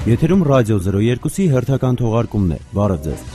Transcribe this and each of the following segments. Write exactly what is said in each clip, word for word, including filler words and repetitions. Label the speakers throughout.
Speaker 1: Եթերում ռադիո զրո երկուսի հերթական թողարկումն է։ Բարև ձեզ։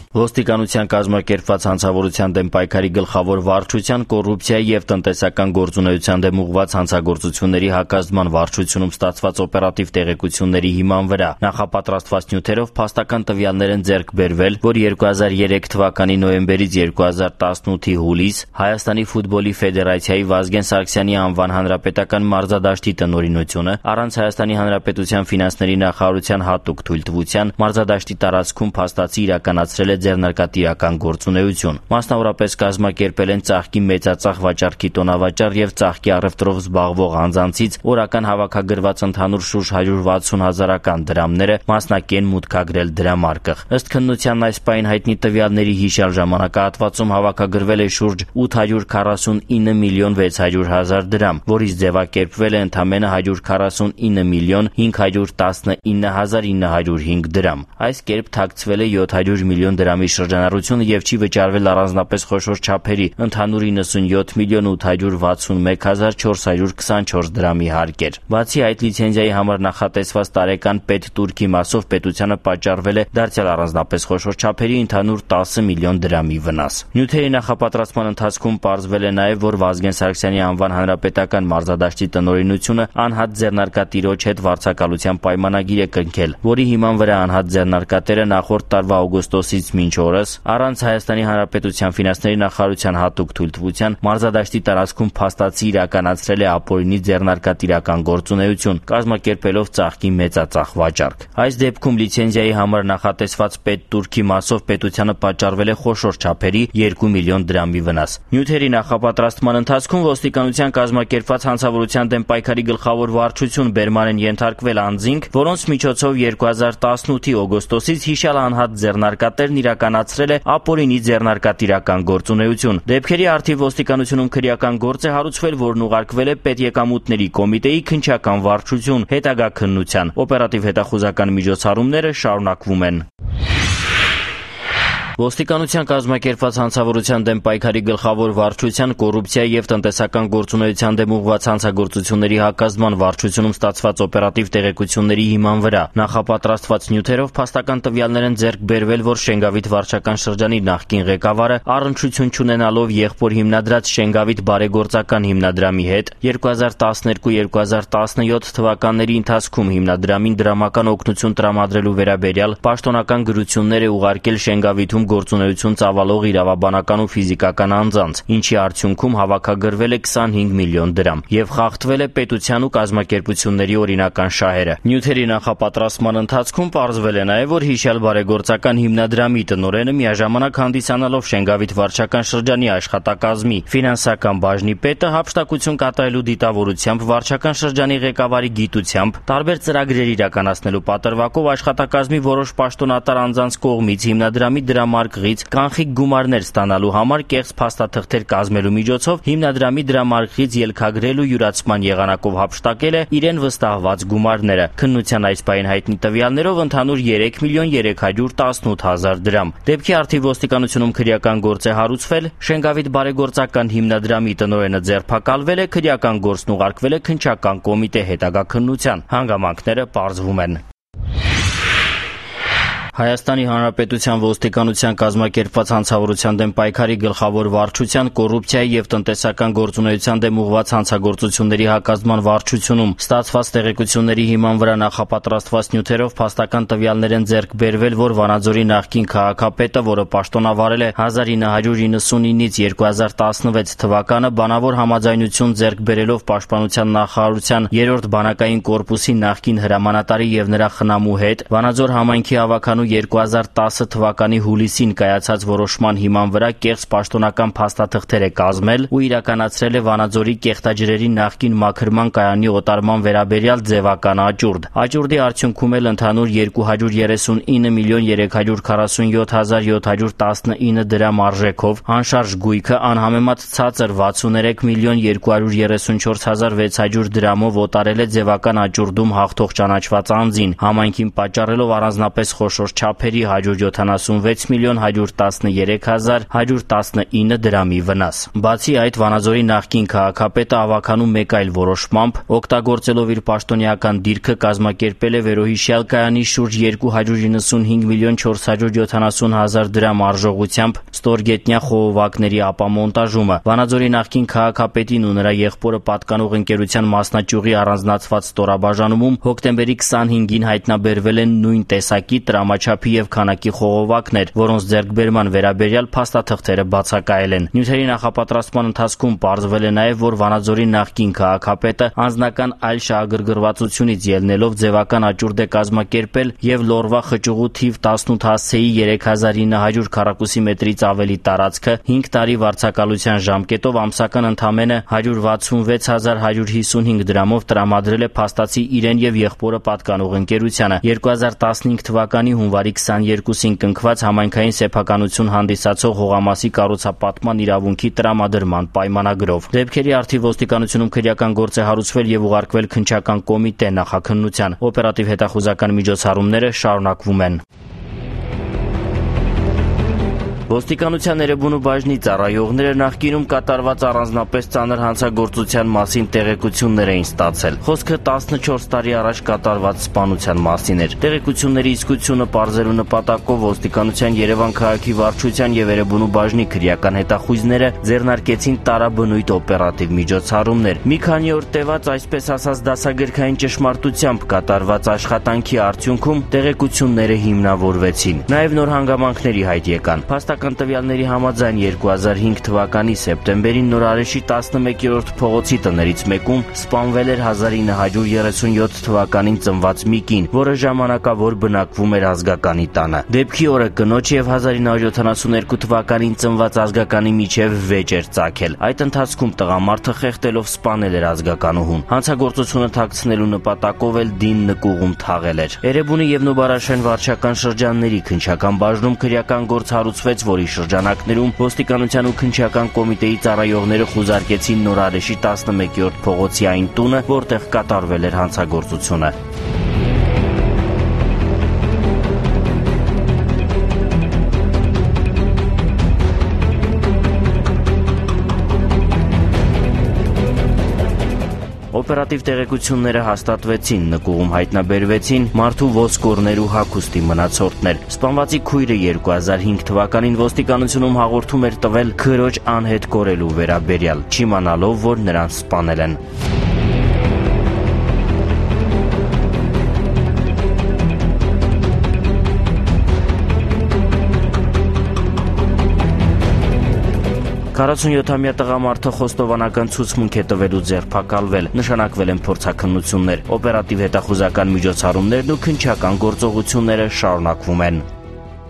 Speaker 2: Ոստիկանության կազմակերպված հանցավորության դեմ պայքարի գլխավոր վարչության կոռուպցիայի և տնտեսական գործունեության դեմ ուղղված հանցագործությունների հակազդման վարչությունում ստացված օպերատիվ տեղեկությունների հիման վրա նախապատրաստված նյութերով փաստական տվյալներ են ձեռք բերվել, որ երկու հազար երեք թվականի նոյեմբերից երկու հազար տասնութի հուլիս Հայաստանի ֆուտբոլի ֆեդերացիայի Վազգեն Սարգսյանի անվան հանրապետական մարզադաշտի տնօրինությունը առանց Հայաստանի Հանրապետության ֆինանսների նախարարության հատուկ թույլտվության մարզադաշտի տարածքում փաստացի իրականացրել է ձեռնարկատիրական գործունեություն։ Մասնավորապես կազմակերպել են ծաղկի մեծածախ վաճառքի տոնավաճառ եւ ծաղկի առևտրով զբաղվող անձանցից օրական հավաքագրված ընդհանուր շուրջ հարյուր վաթսուն հազարական դրամները մասնակեն մուտքագրել դրամարկղ։ Ըստ քննության այս պահին հայտնի տվյալների հիշյալ ժամանակահատվածում հավաքագրվել է շուրջ ութ հարյուր քառասունինը միլիոն վեց հարյուր հազար դրամ, որից ձևակերպվել է ընդամենը հարյուր քառասունինը միլիոն հինգ հարյուր տասնինը հազար ինը հարյուր հինգ դրամ։ Այս կերպ թաքցվել է յոթ հարյուր միլիոն դրամի շրջանառությունը եւ չի վճարվել առանձնապես խոշոր չափերի ընդհանուր իննսունյոթ միլիոն ութ հարյուր վաթսունմեկ հազար չորս հարյուր քսանչորս դրամի հարկեր։ Բացի այդ, լիցենզիայի համար նախատեսված տարեկան պետտուրքի մասով պետությանը պատճառվել է դարձյալ առանձնապես խոշոր չափերի ընդհանուր տասը միլիոն դրամի վնաս։ Նյութերի նախապատրաստման ընթացքում պարզվել է նաեւ, որ Վազգեն Սարգսյանի անվան հանրապետական մարզադաշտի տնօրինությունը անհատ ձեռնարկատիրոջ հետ վարձակալության պայմանագիր է կնքել, որի հիման վրա անհատ ձեռնարկատերը նախորդ տարվա օգոստոսից մինչ օրս առանց Հայաստանի Հանրապետության ֆինանսների նախարարության հատուկ թույլտվության մարզադաշտի տարածքում փաստացի իրականացրել է ապօրինի ձեռնարկատիրական գործունեություն, կազմակերպելով ծաղկի մեծածախ վաճառք։ Այս դեպքում լիցենզիայի համար նախատեսված պետտուրքի մասով պետությանը պատճառվել է խոշոր չափերի երկու միլիոն դրամի վնաս։ Նյութերի նախապատրաստման ընթացքում ոստիկանության կազմակերպված հանցավորության դեմ պայքարի գլխավոր վարչություն բերման են ենթարկվել անձինք, որոնց միջոցով երկու հազար տասնութի օգոստոսից հիշյալ անհատ ձեռնարկատերն իրականացրել է ապօրինի ձեռնարկատիրական գործունեություն։ Դեպքերի առթիվ ոստիկանությունում քրեական գործ է հարուցվել, որն ուղարկվել է Պետեկամուտների կոմիտեի քննչական վարչություն հետագա քննության։ Օպերատիվ հետախուզական միջոցառումները շարունակվում են։ Ոստիկանության կազմակերպված հանցավորության դեմ պայքարի գլխավոր վարչության կոռուպցիայի և տնտեսական գործունեության դեմ ուղղված հանցագործությունների հակազդման վարչությունում ստացված օպերատիվ տեղեկությունների հիման վրա նախապատրաստված նյութերով փաստական տվյալներ են ձեռք բերվել, որ Շենգավիթ վարչական շրջանի նախկին ղեկավարը առնչություն չունենալով եղբոր հիմնադրած Շենգավիթ բարեգործական հիմնադրամի հետ երկու հազար տասներկու երկու հազար տասնյոթ թվականների ընթացքում հիմնադրամին դրամական օգնություն տրամադրելու վերաբերյալ պաշտոնական գրություններ է ուղարկել Շենգավիթում գործունեություն ծավալող իրավաբանական ու ֆիզիկական անձանց, ինչի արդյունքում հավաքագրվել է քսանհինգ միլիոն դրամ եւ խախտվել է պետության ու կազմակերպությունների օրինական շահերը։ Նյութերի նախապատրաստման ընթացքում պարզվել է նաեւ, որ հիշյալ բարեգործական հիմնադրամի տնօրենը միաժամանակ հանդիսանալով Շենգավիթ վարչական շրջանի աշխատակազմի ֆինանսական բաժնի պետը հափշտակություն կատարելու դիտավորությամբ վարչական շրջանի ղեկավարի գիտությամբ տարբեր ծրագրեր իրականացնելու պատրվակով աշխատակազմի որոշ պաշտոնատար անձանց կողմից հիմնադրամի դրամ ղից կանխիկ գումարներ ստանալու համար կեղծ փաստաթղթեր կազմելու միջոցով հիմնադրամի դրամարկղից ելքագրել ու յուրացման եղանակով հափշտակել է իրեն վստահված գումարները։ Քննության այս պահին հայտնի տվյալներով ընդհանուր երեք միլիոն երեք հարյուր տասնութ հազար դրամ։ Դեպքի առթիվ ոստիկանությունում քրեական գործ է հարուցվել, Շենգավիթ բարեգործական հիմնադրամի տնօրենը ձերբակալվել է, քրեական գործն ուղարկվել է քննչական կոմիտե հետագա քննության։ Հանգամանքները պարզվում են։ Հայաստանի Հանրապետության ոստիկանության կազմակերպված հանցավորության դեմ պայքարի գլխավոր վարչության կոռուպցիայի և տնտեսական գործունեության դեմ ուղղված հանցագործությունների հակազդման վարչությունում ստացված տեղեկությունների հիման վրա նախապատրաստված նյութերով փաստական տվյալներ են ձեռք բերվել, որ Վանաձորի նախկին քաղաքապետը, որը պաշտոնավարել է հազար ինը հարյուր իննսունինից երկու հազար տասնվեց թվականը, բանավոր համաձայնություն ձեռք բերելով Պաշտպանության նախարարության երրորդ բանակային կորպուսի նախկին հրամանատարի և նրա խնամու հետ Վանաձոր համայնքի ավականու երկու հազար տասը թվականի հուլիսին կայացած որոշման հիման վրա կեղծ պաշտոնական փաստաթղթեր է կազմել ու իրականացրել է Վանաձորի կեղտաջրերի նախկին մաքրման կայանի օտարման վերաբերյալ ձևական աճուրդ։ Աճուրդի արդյունքում էլ ընդհանուր երկու հարյուր երեսունինը միլիոն երեք հարյուր քառասունյոթ հազար յոթ հարյուր տասնինը դրամ արժեքով անշարժ գույքը անհամեմատ ցածր վաթսուներեք միլիոն երկու հարյուր երեսունչորս հազար վեց հարյուր դրամով օտարել է ձևական աճուրդում հաղթող ճանաչված անձին, համայնքին պատճառելով առանձնապես խոշոր չորս չափերի հարյուր յոթանասունվեց միլիոն հարյուր տասներեք հազար հարյուր տասնինը դրամի վնաս։ Բացի այդ, Վանաձորի նախկին քաղաքապետը ավագանում մեկ այլ որոշմամբ, օգտագործելով իր պաշտոնեական դիրքը, կազմակերպել է վերոհիշյալ կայանի շուրջ երկու հարյուր իննսունհինգ միլիոն չորս հարյուր յոթանասուն հազար դրամ արժողությամբ ստորգետնյա խողովակների ապամոնտաժումը։ Վանաձորի նախկին քաղաքապետին ու նրա եղբորը պատկանող ընկերության մասնաճյուղի առանձնացված ստորաբաժանումում հոկտեմբերի քսանհինգին հայտնաբերվել են նույն տեսակի տրամաչափի եւ քանակի խողովակներ, որոնց ձեռքբերման վերաբերյալ փաստաթղթերը բացակայել են։ Նյութերի նախապատրաստման ընթացքում պարզվել է նաեւ, որ Վանաձորի նախկին քաղաքապետը անձնական այլ շահագրգռվածությունից ելնելով ձևական աճուրդ է կազմակերպել եւ լորվա խճուղու թիվ տասնութ հասցեի երեք հազար ինը հարյուր քառակուսի մետրից ավելի տարածքը հինգ տարի վարձակալության ժամկետով ամսական ընդամենը հարյուր վաթսունվեց հազար հարյուր հիսունհինգ դրամով տրամադրել է փաստացի իրեն եւ եղբորը պատկանող ընկերությանը։ երկու հազար տասնհինգ թվականի հունվարի քսաներկուսին կնքված համայնքային սեփականություն հանդիսացող հողամասի կառուցապատման իրավունքի տրամադրման պայմանագրով։ Դեպքերի առթիվ ոստիկանությունում քրեական գործ է հարուցվել եւ ուղարկվել քննչական կոմիտե նախաքննության։ Օպերատիվ հետախուզական միջոցառումները շարունակվում են։ Ոստիկանության Էրեբունու բաժնի ծառայողները նախկինում կատարված առանձնապես ծանր հանցագործության մասին տեղեկություններ էին ստացել։ Խոսքը տասնչորս տարի առաջ կատարված սպանության մասին էր։ Տեղեկությունների իսկությունը պարզելու նպատակով ոստիկանության Երևան քաղաքի վարչության եւ Էրեբունու բաժնի քրեական հետախույզները ձեռնարկեցին տարաբնույթ օպերատիվ միջոցառումներ։ Մի քանի օր տևած, այսպես ասած, դասագրքային ճշմարտությամբ կատարված աշխատանքի արդյունքում տեղեկությունները հիմնավորվեցին։ Նաեւ նոր հանգամանքների հայտ եկան։ Տվյալների համաձայն երկու հազար հինգ թվականի սեպտեմբերին Նորարեշի տասնմեկերորդ փողոցի տներից մեկում սպանվել էր հազար ինը հարյուր երեսունյոթ թվականին ծնված մի կին, որը ժամանակավոր բնակվում էր Ազգականի տանը։ Դեպքի օրը կնոջ եւ հազար ինը հարյուր յոթանասունհինգ թվականին ծնված Ազգականի միջև վեճ էր ծագել։ Այդ ընթացքում տղամարդը խեղդելով սպանել էր Ազգականուհուն։ Հանցագործությունը թաքցնելու նպատակով էլ դին նկուղում թաղել էր։ Էրեբունի եւ Նուբարաշեն վարչական շրջանների քննչական բաժնում քրեական գործ հարուցվեց, որի շրջանակներում ոստիկանության ու քննչական կոմիտեի ծառայողները խուզարկեցին Նորարեշի տասնմեկերորդ փողոցի այն տունը, որտեղ կատարվել էր հանցագործությունը։ Օպերատիվ տեղեկությունները հաստատվեցին, նկուղում հայտնաբերվեցին մարդու ոսկորներ ու հագուստի մնացորդներ։ Սպանվածի քույրը երկու հազար հինգ թվականին ոստիկանությունում հաղորդում էր տվել քրոջ անհետ կորելու վերաբերյալ, չիմանալով, որ նրան սպանել են։ քառասունյոթամյա տղամարդը խոստովանական ցուցմունք է տվելու ձերբակալվել, նշանակվել են փորձաքննություններ, օպերատիվ հետախուզական միջոցառումներն ու քննչական գործողությունները շարունակվում են։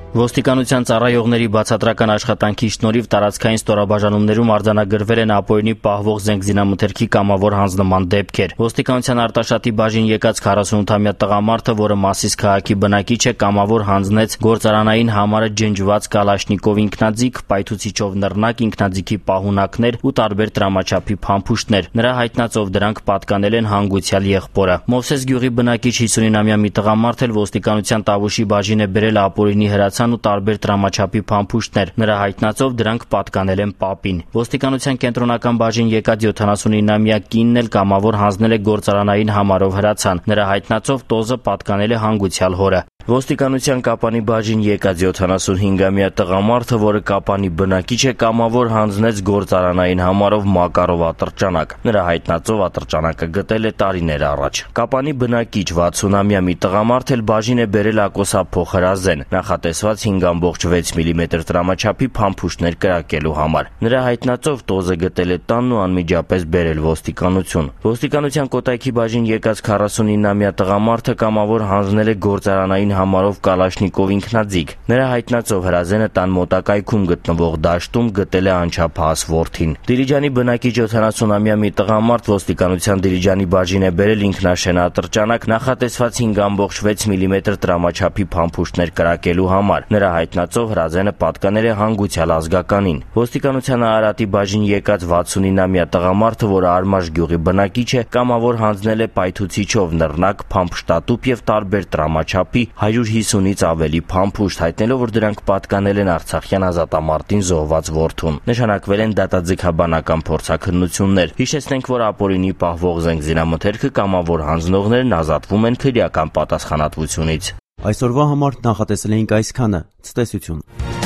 Speaker 2: Ոստիկանության ծառայողների բացատրական աշխատանքի շնորհիվ տարածքային ստորաբաժանումներում արձանագրվել են ապօրինի պահվող զենգզինամթերքի կամավոր հանձնման դեպքեր։ Ոստիկանության Արտաշատի բաժին եկած քառասունութամյա տղամարդը, որը Մասիս քաղաքի բնակիչ է, կամավոր հանձնեց գործարանային համարը ջնջված կալաշնիկով ինքնաձիգ, պայթուցիչով նռնակ, ինքնաձիգի պահունակներ ու տարբեր տրամաչափի փամփուշտներ։ Նրա հայտնածով դրանք պատկանել են հանգուցյալ եղբորը։ Մովսես գյուղի բնակիչ հիսունինամյա մի տղամարդ էլ ոստիկանության Տավուշի բաժին է բերել ապօրինի հրացան ու տարբեր տրամաչափի փամփուշտներ։ Նրա հայտնածով դրանք պատկանել են պապին։ Ոստիկանության կենտրոնական բաժին եկած յոթանասունինամյա կինն էլ կամավոր հանձնել է գործարանային համարով հրացան։ Նրա հայտնածով տոզը պատկանել է հանգուցյալ հորը։ Ոստիկանության Կապանի բաժին եկած յոթանասունհինգամյա տղամարդը, որը Կապանի բնակիչ է, կամավոր հանձնեց գործարանային համարով Մակարով ատրճանակ։ Նրա հայտնածով ատրճանակը գտել է տարիներ առաջ։ Կապանի բնակիչ վաթսունամյա մի տղամարդ էլ բաժին է բերել ակոսափող հրազեն, նախատեսված հինգ ամբողջ վեց միլիմետր տրամաչափի փամփուշտներ կրակելու համար։ Նրա հայտնածով տոզը գտել է տանն ու անմիջապես բերել ոստիկանություն։ Ոստիկանության Կոտայքի բաժին եկած քառասունինամյա տղամարդը կամավոր հանձնել է գործարանային համարով կալաշնիկով ինքնաձիգ։ Նրա հայտնածով հրազենը տան մոտակայքում գտնվող դաշտում գտել է անչափահաս որդին։ Դիլիջանի բնակիչ յոթանասունամյա մի տղամարդ ոստիկանության Դիլիջանի բաժին է բերել ինքնաշեն ատրճանակ, նախատեսված հինգ ամբողջ վեց միլիմետր տրամաչափի փամփուշտներ կրակելու համար։ համար։ Նրա հայտնածով Հրաձենը պատկանել է հանգուցյալ ազգականին։ Ոստիկանության Արարատի բաժին եկած վաթսունինամյա տղամարդը, որը Արմաշ գյուղի բնակիչ է, կամավոր հանձնել է պայթուցիչով նռնակ, փամփշտատուփ եւ տարբեր տրամաչափի հարյուր հիսունից ավելի փամփուշտ, հայտնելով, որ դրանք պատկանել են արցախյան ազատամարտին զոհված որդուն։ Նշանակվել են դատաձգաբանական փորձաքննություններ։ Հիշեցնենք, որ ապօրինի պահվող զենքզինամթերքը կամավոր հանձնողներն ազատվում են քրեական պատասխանատվությունից։
Speaker 1: Այսօրվա համար նախատեսել էինք այսքանը։ Ցտեսություն։